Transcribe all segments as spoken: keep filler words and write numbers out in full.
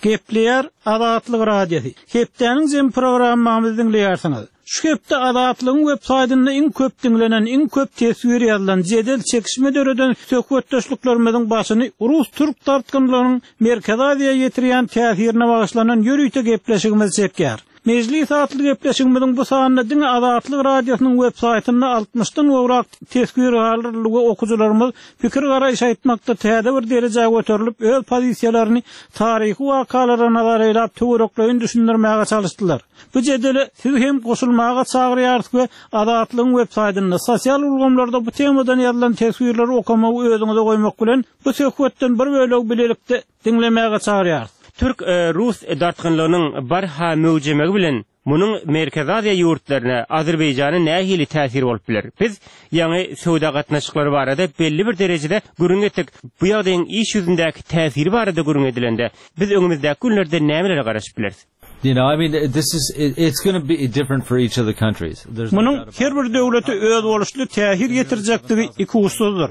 Gepleýär Azatlyk Radiosy. Hepdäniň jem programmamyzy diňleýärsiňiz. Şu hepde Azatlygyň web saýtynda iň köp diňlenen, iň köp teswir ýazylan, jedel çekişme döreden söhbetdeşliklerimiziň başyny Rus-Türk dartgynlygynyň Merkezi Aziýa ýetirýän täsirine bagyşlanan ýörite gepleşigimiz çekýär. Mejlis atly gepleşigimiziň bu sanynda diňe Azatlyk Radiosynyň web saýtynda altmyşdan gowrak teswir galdyryldy we okyjylarymyz pikir garaýyş aýtmakda täze bir derejä göterilip, öz pozisiýalaryny taryhy wakalara nazar eýläp töwerekleýin düşündirmäge çalyşdylar. Bu jedele siz hem goşulmaga çagyrýarys we Azatlygyň web saýtynda sosial ulgamlarda bu temadan ýazylan teswirleri okamagy özüňize goýmak bilen bu söhbetden bir bölegi bilelikde diňlemäge çagyrýarys. Türk e, Rus dartgynlygynyň barha möwjemegi bilen munuň Merkezi Aziýa ýurtlaryna Azerbaýjana nähili täsir bolup biler? Biz ýaňy söwda gatnaşyklary barada belli bir derejede gürrüň etdik. Bu ýagdaýyň iş ýüzündäki täsiri barada gürrüň edilende biz öňümizdäki günlerde nämelere garaşyp bileris? You know, I mean, this is it, it's going to be different for each of the countries. There's no Munuň doubt about her bir döwlete öz boluşly täsir ýetirjekdigi ikuçsuzdyr.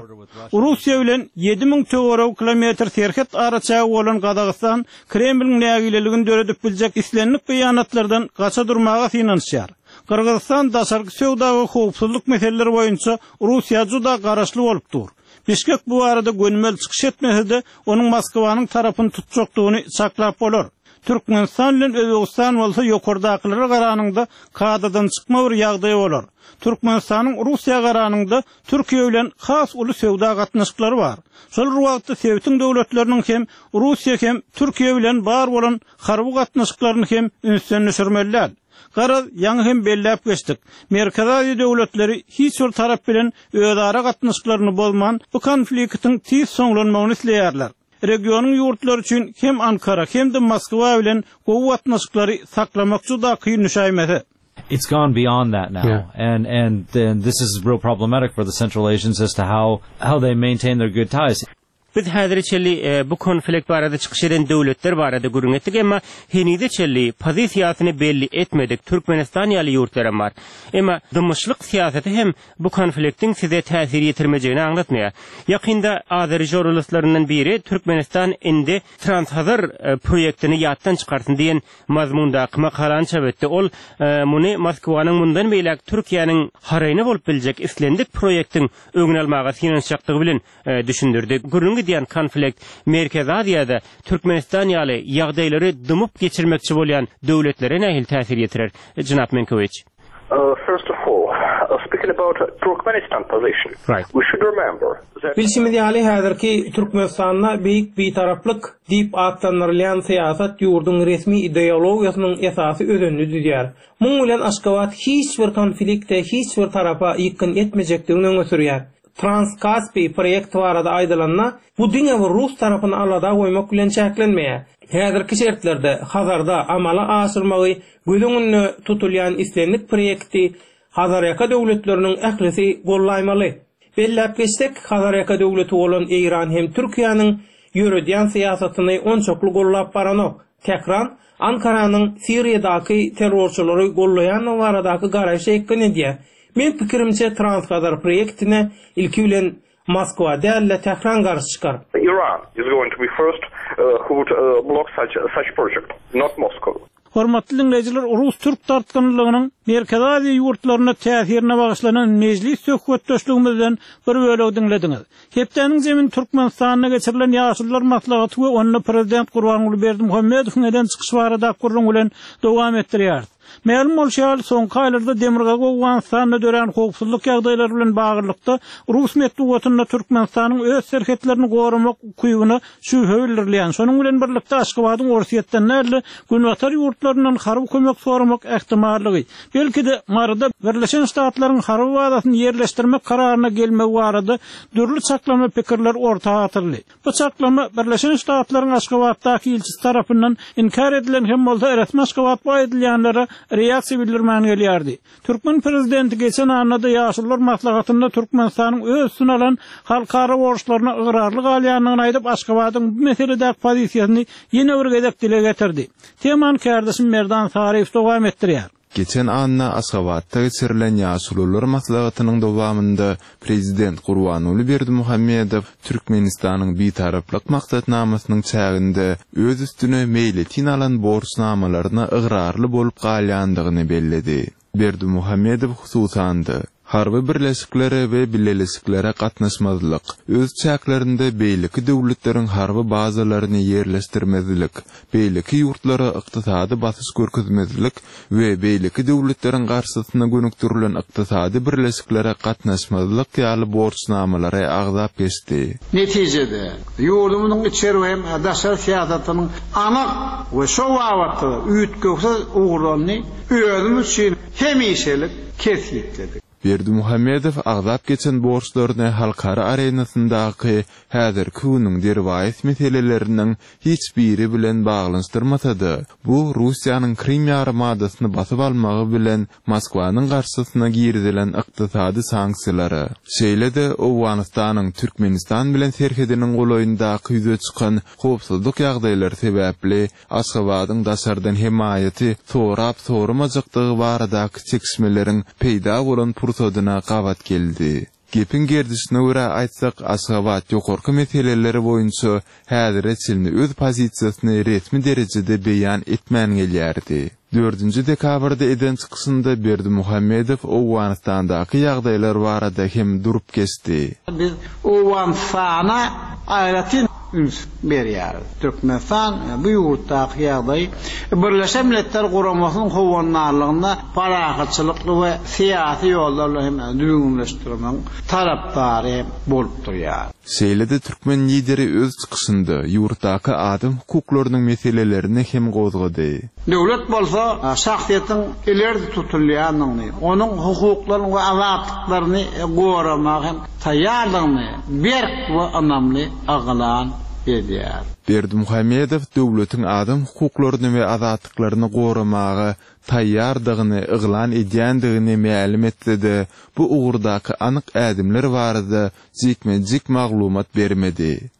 Russiýa bilen ýedi müň töweregi kilometr serhet araçägi bolan Gazagystan Kremliň nägileligini döredip biljek islendik beýanatlardan gaça durmaga synanyşýar. Gyrgyzystan daşarky söwda we howpsuzlyk meseleleri boýunça Russiýa juda garaşly bolup dur. Bişkek bu barada gönümel çykyş etmese-de, onuň Moskwanyň tarapyny tutjakdygyny çaklap bolar. Türkmenistan bilen Özbegistan bolsa ýokardakylara garanyňda kadadan çykma bir ýagdaý bolar. Türkmenistanyň Russiýa garanyňda Türkiýe bilen has uly söwda gatnaşyklary bar. Şol bir wagtda sebitiň döwletleriniň hem Russiýa hem Türkiýe bilen bar bolan harby gatnaşyklaryny hem ünsden düşürmeli däl. Garaz, ýaňy hem belläp geçdik. Merkezi Aziýa döwletleri hiç bir tarap bilen özara gatnaşyklaryny bozman, bu konfliktiň tiz soňlanmagyny isleýärler. Regionyň ýurtlary üçin hem Ankara hem-de Moskwa bilen gowy gatnaşyklary saklamak juda kyn düşäýmese. It's gone beyond that now. Yeah. And, and then this is real problematic for the Central Asians as to how, how they maintain their good ties. Biz häzire çenli e, bu konflikt barada çykyş eden döwletler barada gürrüň etdik, emma henize çenli pozisiýasyny belli etmedik Türkmenistan ýaly ýurtlar bar. Emma dymyşlyk syýasaty hem bu konfliktiň size täsir ýetirmejegini aňlatmaýar. Ýakynda Azeri žurnalistlaryndan biri Türkmenistan indi Transhazar e, proýektini ýatdan çykarsyn diýen mazmundaky makalany çap etdi. Ol e, muny Moskwanyň mundan beýläk Türkiýäniň haraýyna bolup biljek islendik proýektiň öňüni almaga synanyşjakdygy bilen e, düşündirdi. Gürrüň gidýän konflikt Merkezi Aziýada Türkmenistan ýaly ýagdaýlary dymyp geçirmekçi bolýan döwletlere nähili täsir ýetirer? Jenap Menkowiç. Uh, first of all, uh, speaking about Turkmenistan position, Right. we should remember that Bilşimiz ýaly häzirki Türkmenistanda beýik bitaraplyk diýip atlandyrylýan syýasat ýurduň resmi ideologiýasynyň esasy özenini düzýär. Muň bilen Aşgabat hiç bir konflikte, hiç bir tarapa ýykgyn etmejekdigini öňe sürýär. Transkaspi proýekti barada aýdylanda, bu diňe bir rus tarapyny alada goýmak bilen çäklenmeýär. Häzirki şertlerde Hazarda amala aşyrmagy göz öňünde tutulýan islendik proýekti Hazarýaka döwletleriniň ählisi gollaýmaly. Belläp geçsek, Hazarýaka döwleti bolan Eýran hem Türkiýäniň ýöredýän syýasatyny onçakly gollap baranok. Tähran Ankaranyň Siriýadaky terrorçylary gollaýandygy baradaky garaýşy ýykgyn edýär. Men pikirimçe Transhazar proýektine ilki bilen Moskwa däl-de Tähran garşy çykar. Iran is going to be first uh, who would uh, block such such project, not Moscow. Hormatly dinleýjiler, Rus-Türk dartgynlygynyň Merkezi Aziýa ýurtlaryna täsirine bagyşlanan mejlis söhbetdeşligimizden bir bölegi diňlediňiz. Hepdäniň zemini Türkmenistanda geçirilen Ýaşulular maslahaty we onda Prezident Gurbanguly Berdimuhamedowyň eden çykyşy barada gürrüň bilen dowam etdirýäris. Mälim bolşy ýaly, soňky aýlarda Demirgazyk Owganystanda dörän howpsuzlyk ýagdaýlary bilen baglylykda Rus metbugatynda Türkmenistanyň öz serhetlerini goramak ukybyna şübhe bildirilýän. Şonuň bilen birlikde Aşgabadyň Orsýetden däl-de Günbatar ýurtlaryndan harby kömek soramak ähtimallygy, belki-de Maryda Birleşen Ştatlaryň harby bazasyny ýerleşdirmek kararyna gelmegi barada dürli çaklama pikirler orta atyldy. Bu çaklama Birleşen Ştatlaryň Aşgabatdaky ilçisi tarapyndan inkar edilen hem bolsa resmi Aşgabat bu aýdylýanlara reaksiýa bildirmän gelýärdi. Türkmen prezidenti geçen annada Ýaşulular maslahatynda Türkmenistanyň öz üstüne alan halkara borçlaryna ygrarly galýandygyny aýdyp Aşgabadyň bu meseledäki pozisiýasyny ýene bir gezek dile getirdi. Temany kärdeşim Merdan Saryýew dowam etdirýär. Geçen anna Aşgabatda geçirilen Ýaşulular maslahatynyň dowamynda Prezident Gurbanguly Berdimuhamedow Türkmenistanyň Bitaraplyk maksatnamasynyň çäginde öz üstüne meýletin alan borçnamalaryna ygrarly bolup galýandygyny belledi. Berdimuhamedow hususan-da, harby birleşiklere we bileleşiklere gatnaşmazlyk, öz çäklerinde beýleki döwletleriň harby bazalaryny ýerleşdirmezlik, beýleki ýurtlara ykdysady basyş görkezmezlik we beýleki döwletleriň garşysyna gönükdirilen ykdysady birleşiklere gatnaşmazlyk ýaly borçnamalary agzap geçdi. Netijede, ýurdumyzyň içeri we hem daşary syýasatynyň anyk we şo babatda üýtgewsiz ugurlaryny özüm üçin hemişelik kesgitledik. Berdimuhamedow agzap geçen borçlaryny halkara arenasyndaky häzirki günüň derwaýys meseleleriniň hiç biri bilen baglanyşdyrmasa-da, bu Russiýanyň Krym ýarymadasyny basyp almagy bilen Moskwanyň garşysyna girizilen ykdysady sanksiýalara, şeýle-de Owganystanyň Türkmenistan bilen serhediniň golaýyndaky ýüze çykan howpsuzlyk ýagdaýlary sebäpli Aşgabadyň daşardan hemaýaty sorap-soramajakdygy baradaky çekişmeleriň peýda bolan pursadyna gabat geldi. Gepiň gerdişine görä aýtsak, Aşgabat ýokarky meseleleri boýunça häzire çenli öz pozisiýasyny resmi derejede beýan etmän gelýärdi. Dördünji dekabrda eden çykyşynda Berdimuhamedow Owganystandaky ýagdaýlar barada hem durup geçdi. Biz Owganystana aýratyn üns berýäris. Türkmenistan bu ýurtdaky ýagdaýy Birleşen Milletler Guramasynyň howandarlygynda parahatçylykly we syýasy ýollarla hem düzgünleşdirmegiň tarapdary bolup durýar. Şeýle-de türkmen lideri öz çykyşynda ýurtdaky adam hukuklarynyň meselelerini hem gozgady. Döwlet bolsa şahsyýetiň ileri tutulýandygyny, onuň hukuklaryny we azatlyklaryny goramaga hem taýýardygyny berk we ynamly yglan edýär. Berdimuhamedow döwletiň adam hukuklaryny we azatlyklaryny goramaga taýýardygyny yglan edýändigini mälim etse-de, bu ugurdaky anyk ädimler barada jikme-jik maglumat bermedi.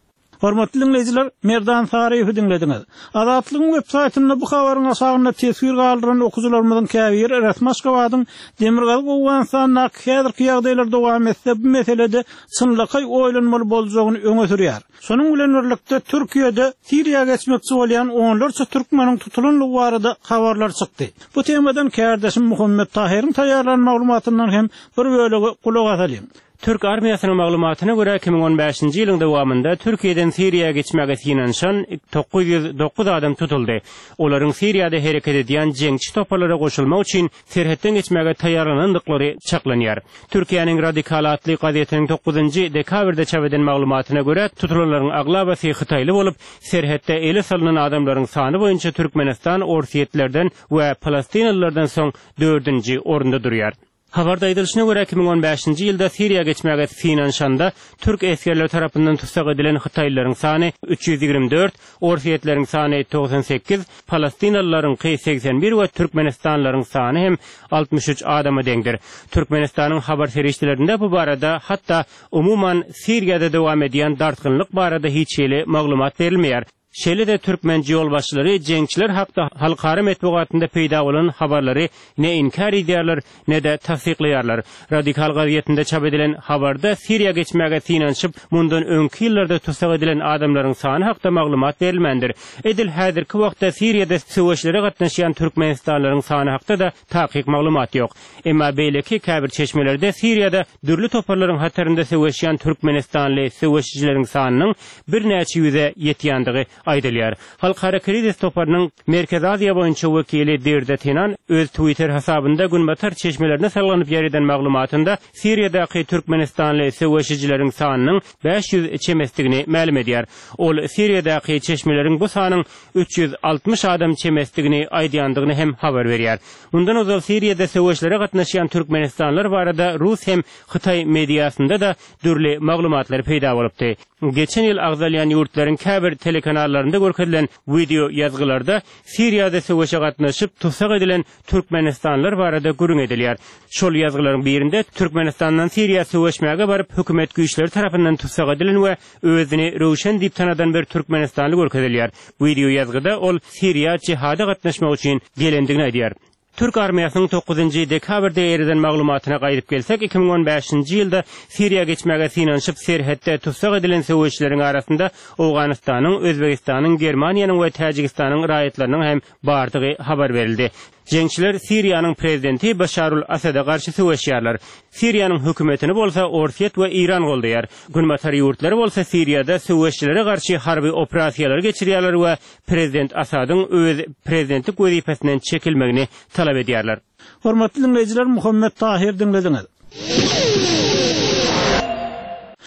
Hormatly dinleýjiler, Merdan Saryýewi diňlediňiz. Azatlygyň web saýtynda bu habaryň aşagynda teswir galdyran okyjylarymyzyň käbiri resmi Aşgabadyň Demirgazyk Owganystandaky häzirki ýagdaýlar dowam etse bu meselede çynlakaý oýlanmaly boljagyny öňe sürýär. Şonuň bilen birlikde Türkiýede Siriýa geçmekçi bolýan onlarça türkmeniň tutulandygy barada habarlar çykdy. Bu temadan kärdeşim Muhammet Tahyryň taýýarlan maglumatyndan hem bir bölegi gulak asalyň. Türk armiýasynyň maglumatyna görä iki müň on bäşinji ýylyň dowamynda Türkiýeden Siriýa geçmäge synanyşan dokuz ýüz dokuz adam tutuldy. Olaryň Siriýada hereket edýän jeňçi toparlara goşulmak üçin serhetden geçmäge taýýarlanandyklary çaklanýar. Türkiýäniň Radikal atly gazetiniň dokuzynjy dekabrda çap eden maglumatyna görä tutulanlaryň aglabasy Hytaýly bolup, serhetde ele salynan adamlaryň sany boýunça Türkmenistan Orsýetlerden we Palestinalylardan soň dördünji orunda durýar. Habarda aýdylyşyna görä iki müň on bäşinji ýylda Siriýa geçmäge synanyşanda türk esgerleri tarapyndan tutsak edilen Hytaýlylaryň sany üç ýüz ýigrimi dört, Orsýetleriň sany togsan sekiz, Palestinalylaryňky segsen bir we Türkmenistanlylaryň sany hem altmyş üç adama deňdir. Türkmenistanyň habar serişdelerinde bu barada hatda umuman Siriýada dowam edýän dartgynlyk barada hiç hili maglumat berilmeýär. Şeýle-de türkmen ýolbaşçylary jeňçiler hakda halkara metbugatynda peýda bolan habarlary ne inkär edýärler, ne-de tassyklaýarlar. Radikal gazetinde çap edilen habarda Siriýa geçmäge synanyşyp, mundan öňki ýyllarda tutsak edilen adamlaryň sany hakda maglumat berilmändir. Edil häzirki wagtda Siriýada söweşlere gatnaşýan Türkmenistanlylaryň sany hakda-da takyk maglumat ýok. Emma beýleki käbir çeşmelerde Siriýada dürli toparlaryň hatarynda söweşýän Türkmenistanly söweşijileriň sanynyň birnäçe ýüze ýetýändigi aýdylýar. Halkara krizis toparynyň Merkezi Aziýa boýunça wekili Dirde Tenan öz Twitter hasabynda günbatar çeşmelerine salganyp ýer eden maglumatynda Siriýadaky Türkmenistanly söweşijileriň sanynyň bäş ýüz çemesdigini mälim edýär. Ol Siriýadaky çeşmeleriň bu sanyň üç ýüz altmyş adam çemesdigini aýdýandygyny hem habar berýär. Mundan ozal Siriýada söweşlere gatnaşýan Türkmenistanlylar barada Rus hem Hytaý mediasynda da dürli maglumatlar peýda bolupdy. Geçen ýyl agzalýan ýurtlaryň käbir telekanallarynda görkezilen video ýazgylarda Siriýada söweşe gatnaşyp tutsak edilen Türkmenistanlylar barada gürrüň edilýär. Şol ýazgylaryň birinde Türkmenistandan Siriýa söweşmäge baryp hökümet güýçleri tarapyndan tutsak edilen we özüni Röwşen diýip tanadan bir Türkmenistanly görkezilýär. Video ýazgyda ol Siriýa jihada gatnaşmak üçin gelendigini aýdýar. Türk armiýasynyň dokuzynjy dekabrda eriden maglumatyna gaýdyp gelsek, iki müň on bäşinji ýylda Siriýa geçmäge synanyşyp serhetde tussag edilen söweşçileriň arasynda Owganystanyň, Özbegistanyň, Germaniýanyň we Täjigistanyň raýatlarynyň hem bardygy habar berildi. Jeňçiler Siriýanyň prezidenti Başarul Asada garşy söweşýärler. Siriýanyň hökümetini bolsa Orsýet we Eýran goldaýar. Günbatar ýurtlary bolsa Siriýada söweşçilere garşy harby operasiýalary geçirýärler we prezident Asadyň öz prezidentlik wezipesinden çekilmegini talap edýärler. Hormatly dinleýjiler, Muhammet Tahir dinlediňiz.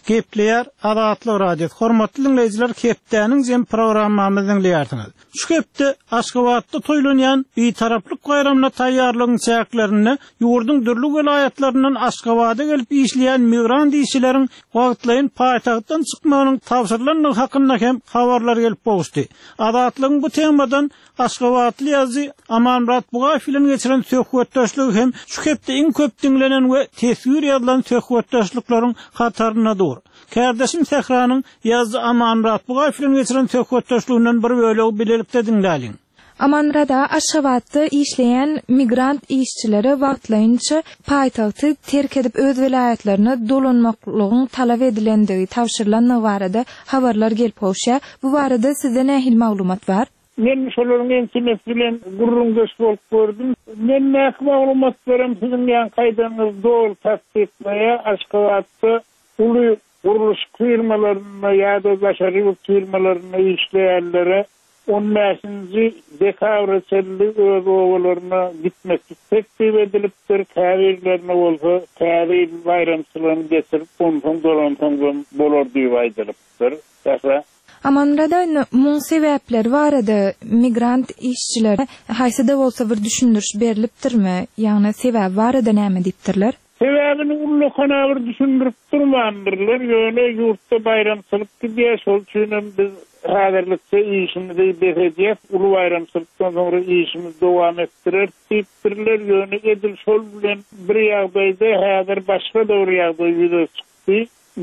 Gepleýär Azatlyk Radiosy. Hormatly dinleýjiler, hepdäniň jem programmamyzy dinleýärsiňiz. Şu hepde Aşgabatda toýlanýan Bitaraplyk baýramyna taýýarlygyň çäklerinde ýurduň dürli welaýatlaryndan Aşgabada gelip işleýän migrant işçileriň wagtlaýyn paýtagtdan çykmagynyň tabşyrylandygy hakynda hem habarlar gelip gowuşdy. Azatlygyň bu temadan Aşgabatly ýazyjy Amanmyrat Bugaýew bilen geçiren söhbetdeşligi hem şu hepde iň köp dinlenen we teswir ýazylan söhbetdeşlikleriň hatarynda dur. Kärdeşim Sähranyň ýazyjy Amanmyrat Bugaýew bilen geçiren söhbetdeşliginden bir bölegi bilelikde dinläliň. Amanmyrat aga, Aşgabatda işleýän migrant işçilere wagtlaýynça paýtagty terk edip öz welaýatlaryna dolanmaklygyň talap edilendigi, tabşyrylandygy barada habarlar gelip gowuşýar. Bu barada sizde nähili maglumat bar? Men şolaryň ençemesi bilen gürrüňdeş bolup gördüm. Men nähili maglumat berem siziň ýan kaýdaňyz dogry tassyklaýar. Aşgabatda uly gurluş firmalarynda ýa-da daşary ýurt firmalarynda işleýänlere on bäşinji dekabra çenli öz obalaryna gitmeklik teklip edilipdir. Käbirlerine bolsa täze ýyl baýramçylygyny geçirip, onsoň dolansoň bolar diýip aýdylypdyr. Sähra. Amanmyrat aga, muň sebäpleri barada migrant işçilere haýsy-da bolsa bir düşündiriş berilipdirmi? Ýagny sebäbi barada näme diýipdirler? Sebäbini ullukana bir düşündirip durmandyrlar. Ýöne ýurtda baýramçylyk gidýär, şol üçin hem biz häzirlikçe işimizi bes edýäs, uly baýramçylykdan soňra işimizi dowam etdirer diýipdirler. Ýöne edil şol bilen bir ýagdaýda häzir başga da bir ýagdaý ýüze çykdy.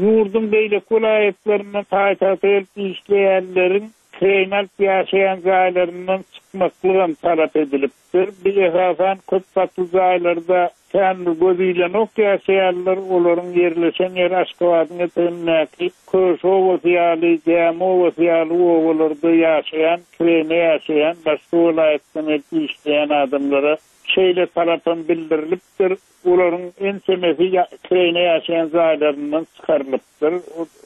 Ýurduň beýleki welaýatlaryndan paýtagta gelip işleýänleriň kireýin alyp ýaşaýan jaýlaryndan çykmaklygam talap edilipdir. Bir esasan köp gatly jaýlarda kän göz ilenok ýaşaýanlar, olaryň ýerleşen ýeri Aşgabadyň etegindäki Köş obasy ýaly, Gämi obasy ýaly obalarda ýaşaýan, kireýine ýaşaýan, başga welaýatdan gelip işleýän adamlara şeýle talapam bildirilipdir. Olaryň ençemesi kireýine ýaşaýan jaýlaryndan çykarylypdyr.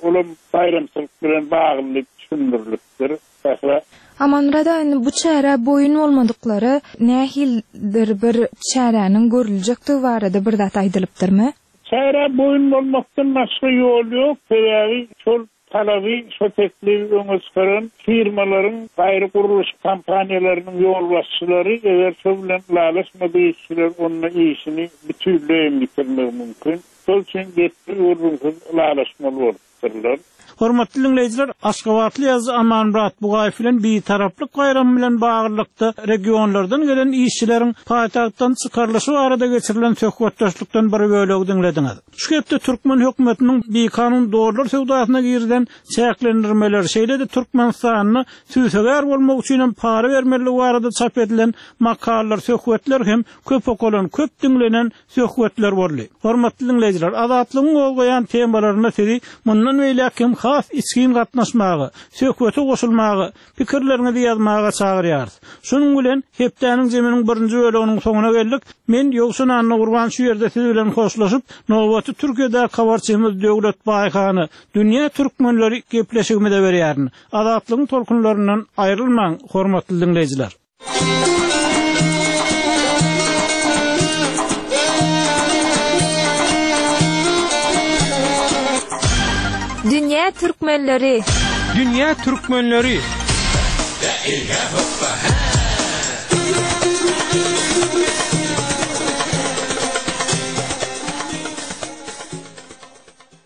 Olam baýramçylyk bilen bagly düşündirilipdir. Sähra. Amanmyrat aga, indi bu çärä boýun bolmadyklary nähilidir bir çäräniň görüljekdigi barada bir zat aýdylypdyrmy? Çärä boýun bolmakdan başga ýol ýok. Sebäbi şol talaby, şo teklibi öňe çykaran firmalaryň, gaýry gurluş kompaniýalarynyň ýolbaşçylary eger şo bilen ylalaşmadyk işçiler onda işini bütünleý bitirmegi mümkin. Şol üçin gepli gürrüňsiz ylalaşmaly bolupdyrlar. Hormatly dinleýjiler, Aşgabatly ýazyjy Amanmyrat Bugaýew bilen Bitaraplyk baýramy bilen baglylykda regionlardan gelen işçileriň paýtagtdan çykarylyşy barada geçirilen söhbetdeşlikden bir bölegi dinlediňiz. Şu hepde türkmen hökümetiniň bikanun dollar söwdasyna girilen çäklendirmeler, şeýle-de Türkmenistanda süýsegär bolmak üçin hem para bermeligi barada çap edilen makalalar, söhbetler hem köp okalan, köp dinlenen söhbetler boldy. Hormatly dinleýjiler, Azatlygyň gozgaýan temalaryna sizi mundan beýläk hem has içgin gatnaşmaga, söhbete goşulmaga, pikirleriňizi ýazmaga çagyrýarys. Şunuň bilen hepdäniň zeminiň birinji bölüminiň soňuna geldik. Men Ýowşan Annagurban şu ýerde siz bilen hoşlaşyp, nowaty Türkiýede habarçymyz Döwlet Baýhany Dünýä Türkmenleri gepleşigimize berýärin. Azatlygyň tolkunlaryndan aýrylmaň, hormatly dinleýjiler. Dünýä Türkmenleri. Dünýä Türkmenleri.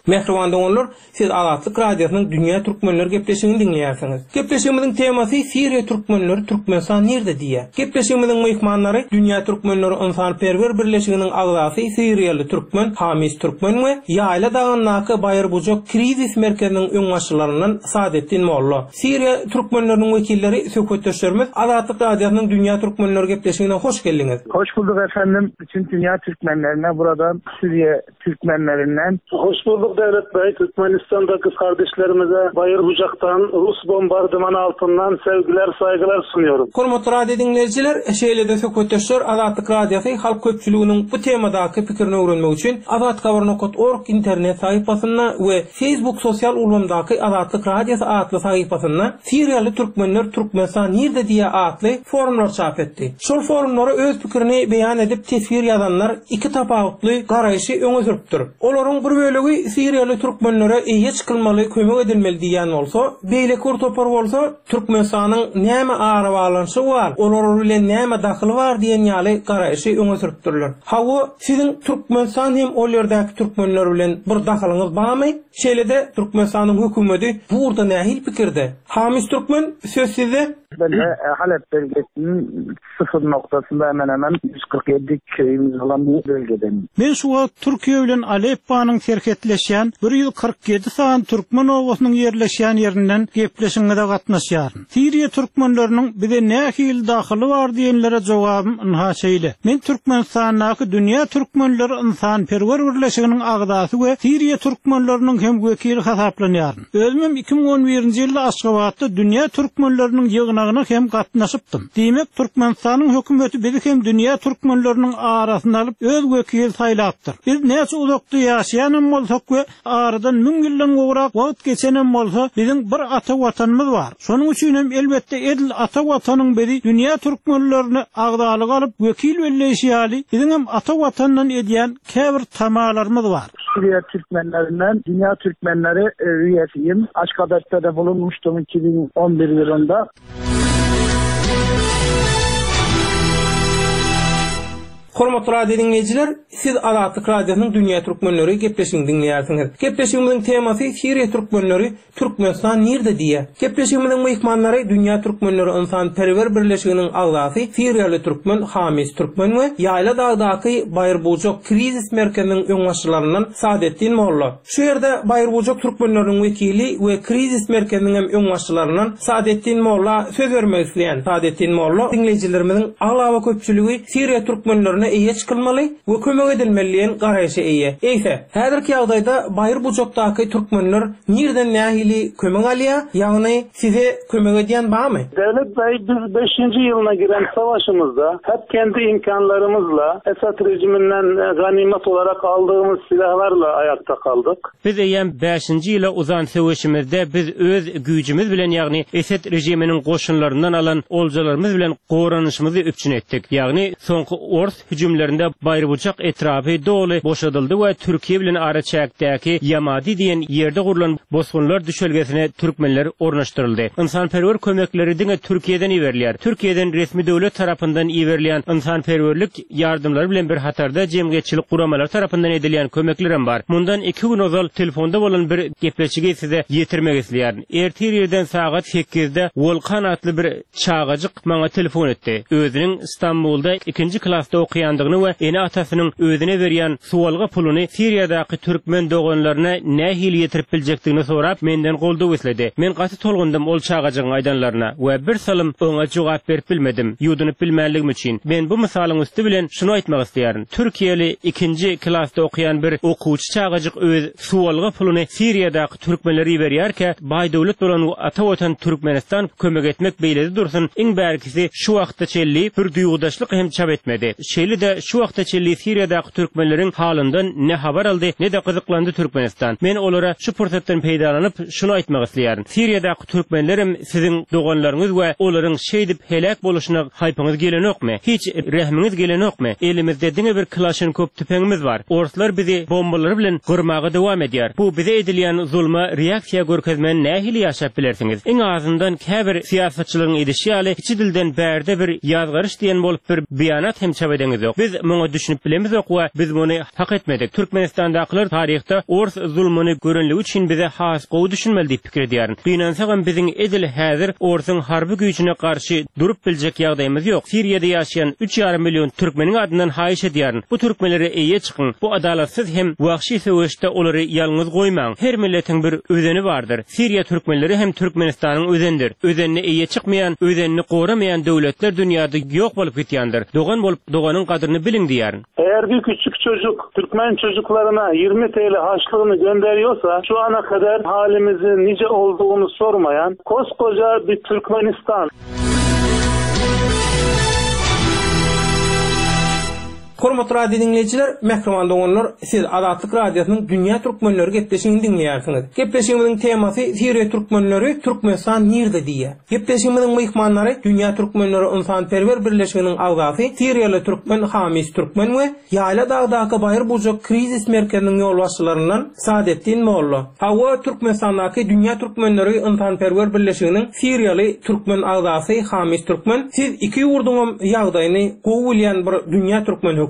Mähriban doganlar, Siz Azatlyk Radiosynyň Dünýä Türkmenleri gepleşigini diňleýärsiňiz. Gepleşigimiziň temasy Siriýa türkmenleri Türkmenistan nirde diýýär. Gepleşigimiziň myhmanlary Dünýä Türkmenleri Ynsanperwer Birleşiginiň agzasy Siriýaly türkmen Hamis Türkmen we Ýaýla dagyndaky Baýyrbujak krizis merkeziniň öňbaşçylaryndan Sadetdin Molla. Siriýa türkmenleriniň wekilleri söhbetdeşlerimiz Azatlyk Radiosynyň Dünýä Türkmenleri gepleşigine hoş geldiňiz. Hoş bulduk efendim. Bütün dünya Türkmenlerine buradan Suriye Türkmenlerinden. Hoş bulduk Devlet Bey. Türkmenistan'daki kardeşlerimize Bayırbucak'tan Rus bombardımanı altından sevgiler saygılar sunuyorum. Hormatly radio dinleýjiler, şeýle-de söhbetdeşler Azatlyk Radiosy halk köpçüliginiň bu temadaky pikirini öwrenmek üçin azathabar.org internet sahypasynda we Facebook sosial ulgamdaky Azatlyk Radiosy atly sahypasynda Siriýaly türkmenler Türkmenistan nirde diýe atly forumlar çap etdi. Şol forumlara öz pikirini beýan edip teswir ýazanlar iki tapawutly garaýşy öňe sürüpdir. Olaryň bir bölegi Siriýaly türkmenlere eýe çykylmaly, kömek edilmeli diýen bolsa, beýleki bir topar bolsa Türkmenistanyň näme arabaglanyşy bar, olar bilen näme dahyly bar diýen ýaly garaýşy öňe sürüpdirler. Hawa, siziň Türkmenistan hem ol ýerdäki türkmenler bilen bir dahylyňyz barmy? Şeýle-de Türkmenistanyň hökümeti bu ugurda nähili pikirde? Hamis Türkmen, söz sizde. Ben de e, Halep bölgesinin sıfır noktasında hemen hemen yüz kyrk ýedi köyümüz olan bir bölgeden. Men şu wagt Türkiýe bilen Aleppanyň serhetleşýän bir ýüz kyrk ýedi sany türkmen obasynyň ýerleşýän ýerinden gepleşiňize gatnaşýaryn. Siriýa türkmenleriniň bize nähili dahyly bar diýenlere jogabym ynha şeýle. Men Türkmenistandaky Dünýä Türkmenleri Ynsanperwer Birleşiginiň agzasy we Siriýa türkmenleriniň hem wekili hasaplanýaryn. Özümem iki müň on birinji ýylda Aşgabatda Dünýä Türkmenleriniň ýygnagyna hem gatnaşypdym. Diýmek, Türkmenistanyň hökümeti bizi hem Dünýä Türkmenleriniň arasyna alyp öz wekili saýlapdyr. Biz näçe uzakda ýaşaýanam bolsak we aradan müň ýyldan gowrak wagt geçenem bolsa, biziň bir ata watanymyz bar. Şonuň üçin hem elbetde edil ata watanyň bizi Dünýä Türkmenlerini agzalyk alyp wekil belleýşi ýaly, biziň hem ata watandan edýän käbir tamalarymyz bar. Suriye Türkmenlerinden Dünya Türkmenleri, e, üyesiyim. Aşgabat'ta da bulunmuştum iki bin on bir yılında. Hormatly radio dinleýjiler, siz Azatlyk Radiosynyň Dünýä Türkmenleri gepleşigini diňleýärsiňiz. Gepleşigimiziň temasy Siriýa türkmenleri Türkmenistan nirde diýe. Gepleşigimiziň myhmanlary Dünýä Türkmenleri Ynsanperwer Birleşiginiň agzasy Siriýaly türkmen Hamis Türkmen we Ýaýla dagdaky Baýyrbujak krizis merkeziniň öňbaşçylaryndan Sadetdin Molla. Şu ýerde Baýyrbujak türkmenleriniň wekili we krizis merkeziniň hem öňbaşçylaryndan Sadetdin Molla söz bermek isleýän. Sadetdin Molla diňleýjilerimiziň aglaba köpçüligi Siriýa türkmenlerine eýe çykylmaly we kömek edilmeli diýen garaýşa eýe. Eýse, häzirki ýagdaýda Baýyrbujakdaky türkmenler nirden nähili kömek alýar? Ýagny size kömek edýän barmy? Devlet Bey, biz beşinji ýylyna giren savaşımızda hep kendi imkanlarymyzla Esad rejiminden ganimet olarak aldığımız silahlarla ayakta kaldık. Biz eýem beşinji ýyla uzan söweşimizde biz öz güýjümiz bilen, ýagny Esad rejiminiň goşunlaryndan alan oljalarymyz bilen goranyşymyzy üpjün etdik. Ýagny soňky ors hüjümlerinde Baýyrbujak etrapy doly boşadyldy we Türkiýe bilen araçäkdäki Ýamadi diýen ýerde gurlan bosgunlar düşelgesine türkmenler ornaşdyryldy. Ynsanperwer kömekleri diňe Türkiýeden iberilýär. Türkiýeden resmi döwlet tarapyndan iberilýän ynsanperwerlik ýardymlary bilen bir hatarda jemgyýetçilik guramalary tarapyndan edilýän kömekler hem bar. Mundan iki gün ozal telefonda bolan bir gepleşigi size ýetirmek isleýärin. Ertir ýerden sagat sekizde Wolkan atly bir çagajyk maňa telefon etdi. Özüniň Stambulda ikinji klasda okuýandygyny we ene atasynyň özüne berýän suwalga puluny Siriýadaky türkmen doganlaryna nähili ýetirip biljekdigini sorap menden goldaw isledi. Men gaty tolgundym ol çagajygyň aýdanlaryna we bir salym oňa jogap berip bilmedim. Ýudunyp bilmänligim üçin. Men bu mysalyň üsti bilen şunu aýtmak isleýärin. Türkiýeli ikinji klasda okuýan bir okuwçy çagajyk öz suwalga puluny Siriýadaky türkmenlere iberýärkä, baý döwlet bolan ata watan Türkmenistan kömek etmek beýledi dursun, iň bärkisi şu wagtda çelli bir duýgudaşlyk hem çap etmedi. Şeýle-de şu wagtda çelli Siriýadaky türkmenleriň halyndan ne habar aldy, ne de gyzyklandy Türkmenistan. Men olara şu pursatdan peýdalanyp şunu aýtmak isleýärin. Siriýadaky türkmenlerim siziň doganlaryňyz we olaryň şeýdip heläk boluşyna haýpyňyz gelenokmy? Hiç rehmiňiz gelenokmy? Elimizde diňe bir Kalaşnikov tüpeňimiz bar. Orslar bizi bombalary bilen gyrmaga dowam edýär. Bu bize edilýän zulma reaksiýa görkezmän nähili ýaşap bilersiňiz? Iň azyndan käbir syýasatçylaryň edişi ýaly kiçi dilden bärde bir ýazgaryş diýen bolup bir beýanat hem çap edeňiz ýok. Biz Biz muňa düşünip bilemizok we biz muny hak etmedik. Türkmenistandakylar taryhda ors zulmuny görenligi üçin bize has gowy düşünmeli diýip pikir edýärin. Gynansagam biziň edil häzir orsuň harby güýjüne garşy durup biljek ýagdaýymyz ýok. Siriýada ýaşaýan üç ýarym million türkmeniň adyndan haýyş edýärin. Bu türkmenlere eýe çykyň. Bu adalatsyz hem wahşy söweşde olary ýalňyz goýmaň. Her milletiň bir özeni bardyr. Siriýa türkmenleri hem Türkmenistanyň özenidir. Özenine eýe çykmaýan, özenini goramaýan döwletler dünýäde ýok bolup gitýändir. Dogan bolup doganyň gadryny biliň diýýärin. Eğer bir küçük çocuk Türkmen çocuklarına yirmi T L harçlığını gönderiyorsa şu ana kadar halimizin nice olduğunu sormayan koskoca bir Türkmenistan. Hormatly radio dinleýjiler, mähriban doganlar, siz Azatlyk Radiosynyň Dünýä Türkmenleri gepleşigini diňleýärsiňiz. Gepleşigimiziň temasy Siriýa Türkmenleri Türkmenistan nirde diýe. Gepleşigimiziň myhmanlary Dünýä Türkmenleri Ynsanperwer Birleşiginiň agzasy Siriýaly Türkmen Hamis Türkmen we Ýaýla dagdaky Baýyr-Bujak krizis merkeziniň ýolbaşçylaryndan Sadetdin Molla. Hawa Türkmenistandaky Dünýä Türkmenleri Ynsanperwer Birleşiginiň Siriýaly Türkmen agzasy Hamis Türkmen, siz iki ýurduň ýagdaýyny gowy bilýän bir Dünýä Türkmen höküminde.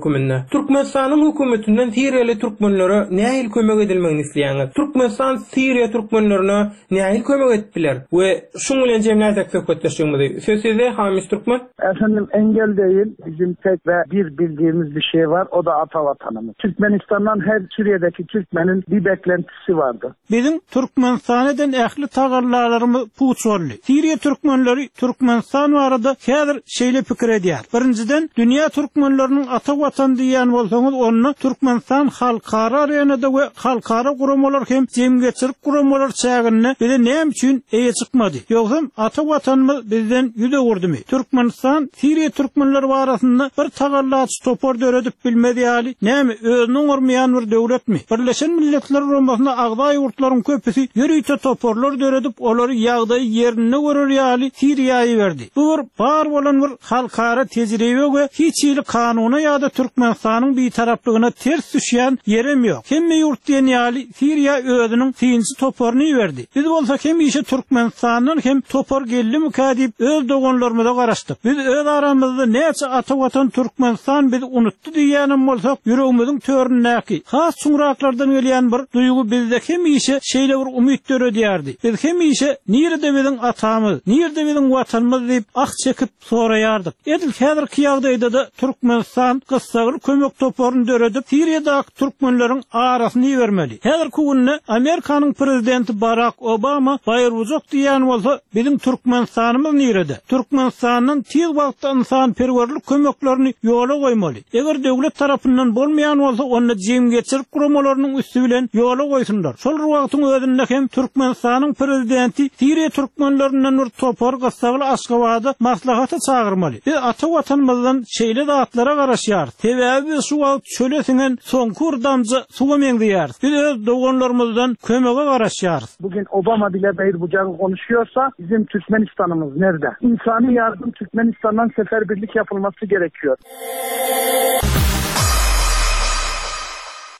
Türkmenistanyň hökümetinden Siriýaly türkmenlere nähili kömek edilmegini isleýäňiz? Türkmenistan Siriýa türkmenlerine nähili kömek edip biler? We şuň bilen jemläsek söhbetdeşligimizi. Söz sizde Hamis Türkmen. Efendim engel değil, bizim tek ve bir bildiğimiz bir şey var, o da ata vatanımız. Türkmenistan'dan her Suriye'deki Türkmenin bir beklentisi vardı. Bizim Türkmenistan'dan ähli tagarlarymyz puç boldy. Siriýa türkmenleri Türkmenistan barada häzir şeýle pikir edýär. Birinciden dünýä türkmenleriniň ata watan diýen bolsaňyz, onda Türkmenistan halkara arenada we halkara guramalar hem jemgyýetçilik guramalar çäginde bize näme üçin eýe çykmady? Ýogsam ata watanymyz bizden ýüz öwürdimi? Türkmenistan Siriýa türkmenleri arasynda bir tagallaç topar döredip bilmez ýaly, näme özüniň ormaýan bir döwletmi? Birleşen Milletler Guramasyna agza ýurtlaryň köpüsi ýörite toparlar döredip, olary ýagdaýy ýerinde görer ýaly Siriýaýy berdi. Bu bir bar bolan bir halkara tejribe we hiç hili kanuna ýa-da Türkmenistanyň bir taraplygyna ters düşýän ýerem ýok. Hemme ýurt diýen ýaly Siriýa özüniň synçy toparyny berdi. Biz bolsa hemişe Türkmenistandan hem topar geldimikä diýip öz doganlarymyza garaşdyk. Biz öz aramyzda näçe ata watan Türkmenistan bizi unutdy diýýänem bolsak, ýüregimiziň töründäki has çuňraklardan gelýän bir duýgy bizde hemişe şeýle bir umyt döredýärdi. Biz hemişe nirede biziň atamyz, nirede biziň watanymyz diýip ah çekip soraýardyk. Edil häzirki ýagdaýda da Türkmenistan gyssagly kömek toparyny döredip Siriýadaky türkmenleriň arasyny bermeli. Häzirki günde Amerikanyň prezidenti Barack Obama Baýyr-Bujak diýen bolsa biziň Türkmenistanymyz nirede? Türkmenistandan tiz wagtda ynsanperwerlik kömeklerini ýola goýmaly. Eger döwlet tarapyndan bolmaýan bolsa, onda jemgyýetçilik guramalarynyň üsti bilen ýola goýsunlar. Şol wagtyň özünde hem Türkmenistanyň prezidenti Siriýa türkmenlerinden bir topar gyssagly Aşgabada maslahata çagyrmaly. Biz ata watanymyzdan şeýle zatlara garaşýarys. Sebäbi biz şu wagt çöle siňen soňky bir damja suwa meňzeýäris. Biz öz doganlarymyzdan kömege garaşýarys. Bugün Obama bile Bayır-Bucak'ı konuşuyorsa bizim Türkmenistan'ımız nerede? İnsani yardım Türkmenistan'dan seferberlik yapılması gerekiyor.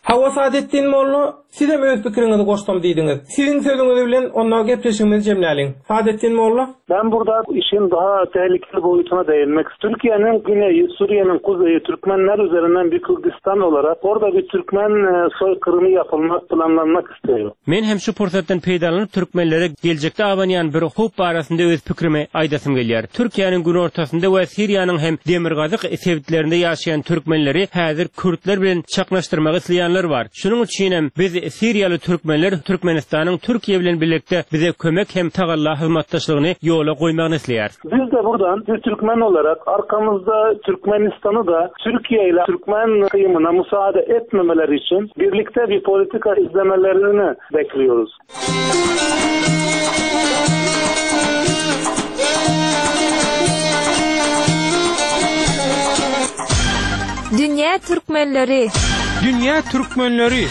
Hawa Sadetdin Molla, siz hem öz pikiriňizi goşsam diýdiňiz. Siziň sözüňiz bilen onda gepleşigimizi jemläliň. Sadetdin Molla. Ben burada işin daha tehlikeli boyutuna değinmek. Türkiye'nin güneyi, Suriye'nin kuzeyi Türkmenler üzerinden bir Kürdistan olarak orada bir Türkmen soykırımı yapılmak, planlanmak istiyor. Men hem şu pursatdan peýdalanyp Türkmenlere geljekde abanýan bir howp barasynda öz pikrimi aýdasym gelýär. Türkiye'nin günortasynda we Siriýanyň hem demirgazyk sebitlerinde ýaşaýan Türkmenleri häzir Kürtler bilen çaknaşdyrmak isleýänler var. Şunuň üçin hem biz Siriýaly Türkmenler Türkmenistanyň Türkiye bilen birlikde bize kömek hem tagalla hyzmatdaşlygyny ýola goýmagyny isleýär. Biz de buradan bir Türkmen olarak arkamızda Türkmenistan'ı da Türkiye ile Türkmen kıyımına müsaade etmemeleri için birlikte bir politika izlemelerini bekliyoruz. Dünya Türkmenleri. Dünya Türkmenleri.